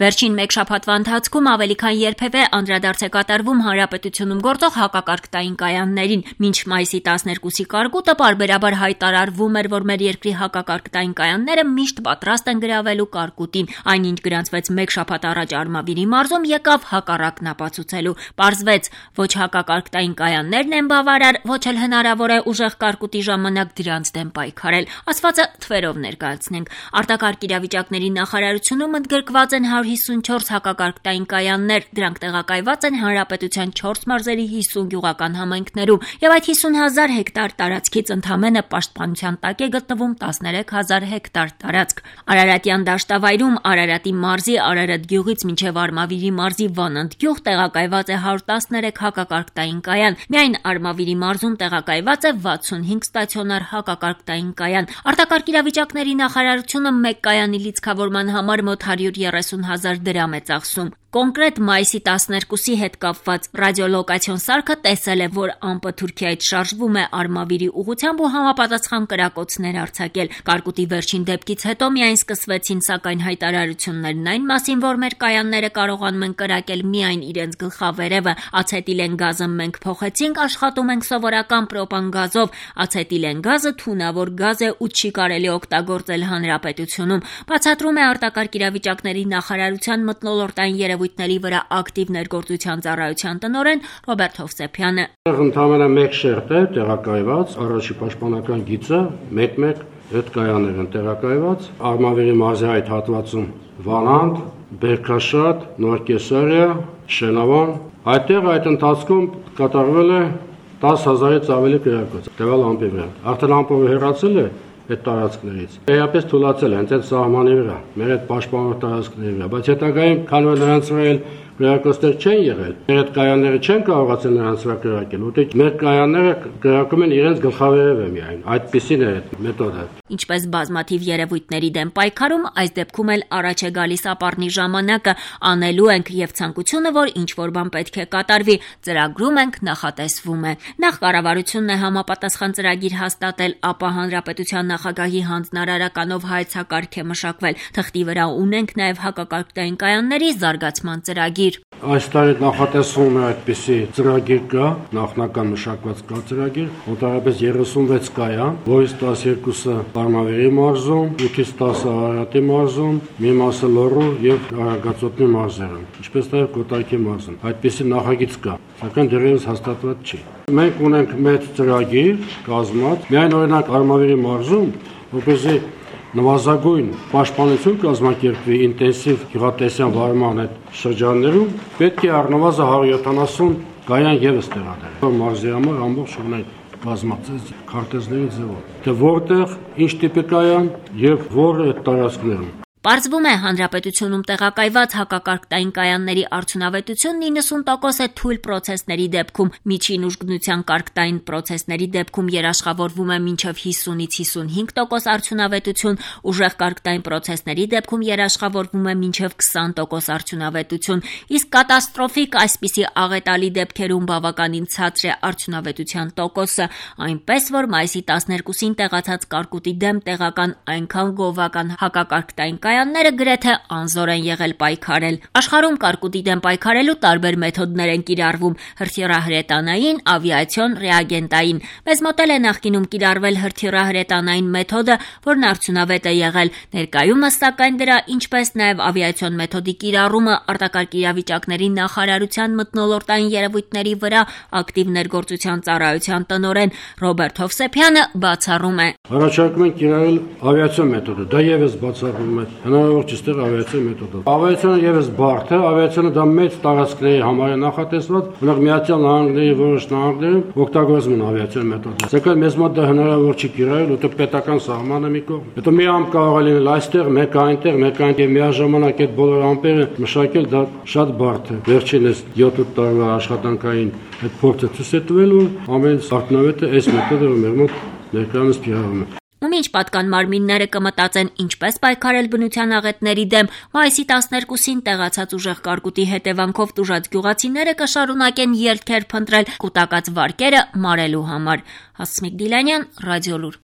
Վերջին մեկ շաբաթվա ընթացքում ավելի քան երբևէ անդրադարձ է կատարվում հանրապետությունում գործող հակակարգտային կայաններին։ Մինչ մայիսի 12-ի կարկուտը պարբերաբար հայտարարվում էր, որ մեր երկրի հակակարգտային կայանները միշտ պատրաստ են գրավելու կարկուտին, այնինչ գրանցվեց մեկ շաբաթ առաջ Արմավիրի մարզում, եկավ հակառակն ապացուցելու։ Պարզվեց, ոչ հակակարգտային կայաններն են բավարար, ոչ էլ հնարավոր է ուժեղ կարկուտի ժամանակ դրանց դեմ պայքարել։ Ասվածը թվերով ներկայացնենք։ Արտակարգ իրավիճակների նախարարությունում ընդգրկված են 154 հակակարգտային կայաններ, դրանք տեղակայված են հանրապետության 4 մարզերի 50 գյուղական համայնքներում, եւ այդ 50,000 հեկտար տարածքից ընդամենը պաշտպանության տակ է գտնվում 13,000 հեկտար տարածք։ Արարատյան դաշտավայրում Արարատի մարզի Արարատ գյուղից մինչև Արմավիրի մարզի Վանանդ գյուղ տեղակայված է 113 հակակարգտային կայան։ Միայն Արմավիրի մարզում տեղակայված է 65 ստացիոնար հակակարգտային կայան։ Արտակարգ իրավիճակների նախարարությունը մեկ կայանի լիցքավորման համար մոտ 130,000 դրամ է ծախսում։ Կոնկրետ մայիսի 12-ի հետ կապված ռադիոլոկացիոն սարքը տեսել է, որ ամպը Թուրքիայից շարժվում է Արմավիրի ուղղությամբ ու համապատասխան կրակոցներ արձակել։ Կարկուտի վերջին դեպքից հետո միայն սկսվեցին սակայն հայտարարություններն այն մասին, որ մեր կայանները կարողանում են կրակել միայն իրենց գլխավերևը։ Ացետիլեն գազը մենք փոխեցինք, աշխատում ենք սովորական պրոպան գազով։ Ացետիլեն գազը թունավոր գազ է ու չի կարելի օգտագործել հանրապետությունում։ Բացատրում է արտակարգ իրավիճակների նախարարության մթնոլորտային երևույթների վրա ակտիվ ներգործության ծառայության տնօրեն Ռոբերտ Հովսեփյանը։ Ընդամենը մեկ շերտ է տեղակայված, առաջի պաշտպանական գիծը 1-1 հետ կայաններ են տեղակայված։ Արմավիրի մարզի այդ հատվածում Վանանդ, Բերքաշատ, Նորկեսարիա, Շենավան։ Այդտեղ այդ ընթացքում կատարվել է 10,000-ից ավելի կրակոց տվյալ ամպի վրա։ Արդեն ամպը հեռացել է այդ տարածքներից։ Էապես թույլատրել են այդ սահմանի վրա, մեր այդ պաշտպանող տարածքների վրա, բայց հետագայում քանի որ նրանց վրա կրակոցներ չեն եղել, մեր այդ կայանները չեն կարողացել նրանց վրա կրակել, ուտի մեր կայանները կրակում են իրենց գլխավերևը միայն։ Այդպիսին է այդ մեթոդը։ Ինչպես բազմաթիվ երևույթների դեմ պայքարում, այս դեպքում էլ առաջ է գալիս ապառնի ժամանակը, անելու ենք եւ ցանկությունը, որ ինչ որ բան պետք է կատարվի, ծրագրում ենք, նախատեսվում է։ Նախ կառավարությունն է համապատասխան ծրագիր հաստատել, ապա հանրապետության նախագահի հանձնարարականով հայեցակարգ է մշակվել։ Թղթի վրա ունենք նաեւ հակակարգտային կայանների զարգացման ծրագիր։ Այս տարի նախատեսվում է այդպիսի ծրագիր կա, նախնական մշակված կա ծրագիր, մոտավորապես 36 կայան, որից 12-ը Արմավիրի մարզում, 8-ից 10-ը Արարատի մարզում, մի մասը Լոռու եւ Արագածոտնի մարզերում, ինչպես նաեւ Կոտայքի մարզում։ Այդպիսի նախագիծ կա, սակայն դեռևս հաստատված չի։ Մենք ունենք մեծ ծրագիր կազմած, միայն օրինակ Արմավիրի մարզում, որպեսզի նվազագույն պաշտպանություն կազմակերպվի ինտենսիվ գյուղատնտեսական վարման այդ շրջաններում, պետք է առնվազն 170 կայան եւս տեղադրել։ Մարզի համար ամբողջ օրնայ կազմած քարտեզների ձևով։ Թե որտեղ, ինչ տիպի կայան եւ որ այդ տարածքներում։ Պարզվում է, հանրապետությունում տեղակայված հակակարգտային կայանների արդյունավետությունն 90% է թույլ պրոցեսների դեպքում, միջին ուժգնության կարգտային պրոցեսների դեպքում երաշխավորվում է մինչև 50-ից 55% արդյունավետություն, ուժեղ կարգտային պրոցեսների դեպքում երաշխավորվում է մինչև 20% արդյունավետություն, իսկ կատաստրոֆիկ այսպիսի աղետալի դեպքերում բավականին ցածր է արդյունավետության տոկոսը, այնպես որ մայիսի 12-ին տեղացած կարկուտի դեմ տեղական այնքան գովական հակակարգտային կայանները գրեթե անզոր են եղել պայքարել։ Աշխարհում կարկուտի դեմ պայքարելու տարբեր մեթոդներ են կիրառվում՝ հրթիռահրետանային, ավիացիոն, ռեագենտային։ Մեզ մոտ է նախկինում կիրառվել հրթիռահրետանային մեթոդը, որն արդյունավետ է եղել։ Ներկայումս սակայն դրա, ինչպես նաև ավիացիոն մեթոդի կիրառումը արտակարգ իրավիճակների նախարարության մթնոլորտային երևույթների վրա ակտիվ ներգործության ծառայության տնօրեն Ռոբերտ Հովսեփյանը բացառում է։ Առաջարկում են կիրառել ավիացիոն մեթոդը, դա եւս բացառվում է։ Հնարավոր չէ ստեղ ավիացիոն մեթոդով։ Ավիացիոնը եւս բարդ է, ավիացիոնը դա մեծ տարածքների համար է նախատեսված, որոնք Միացյալ Նահանգների որոշ նահանգներում օգտագործում են ավիացիոն մեթոդը։ Սակայն մեզ մոտ դա հնարավոր չի կիրառել, որտեղ պետական սահմանը մի կողմ։ Հետո մի ամպ կարող է լինել այստեղ, մեկ այնտեղ եւ միաժամանակ այդ բոլոր ամպերը մշակել դա շատ բարդ է։ Վերջինս 7-8 տարվա աշխատանքային այդ փորձը ցույց է տվել, որ ամենից արդյունավետը այս մեթոդը մեր մոտ ներկայումս կիրառվում է։ Ու մինչ պատկան մարմինները կմտածեն ինչպես պայքարել բնության աղետների դեմ, մայիսի 12-ին տեղացած ուժեղ կարկուտի հետևանքով տուժած գյուղացիները կշարունակեն ելքեր փնտրել կուտակած վարկերը մարելու համար։ Հասմիկ Դիլանյան, Ռադիոլուր։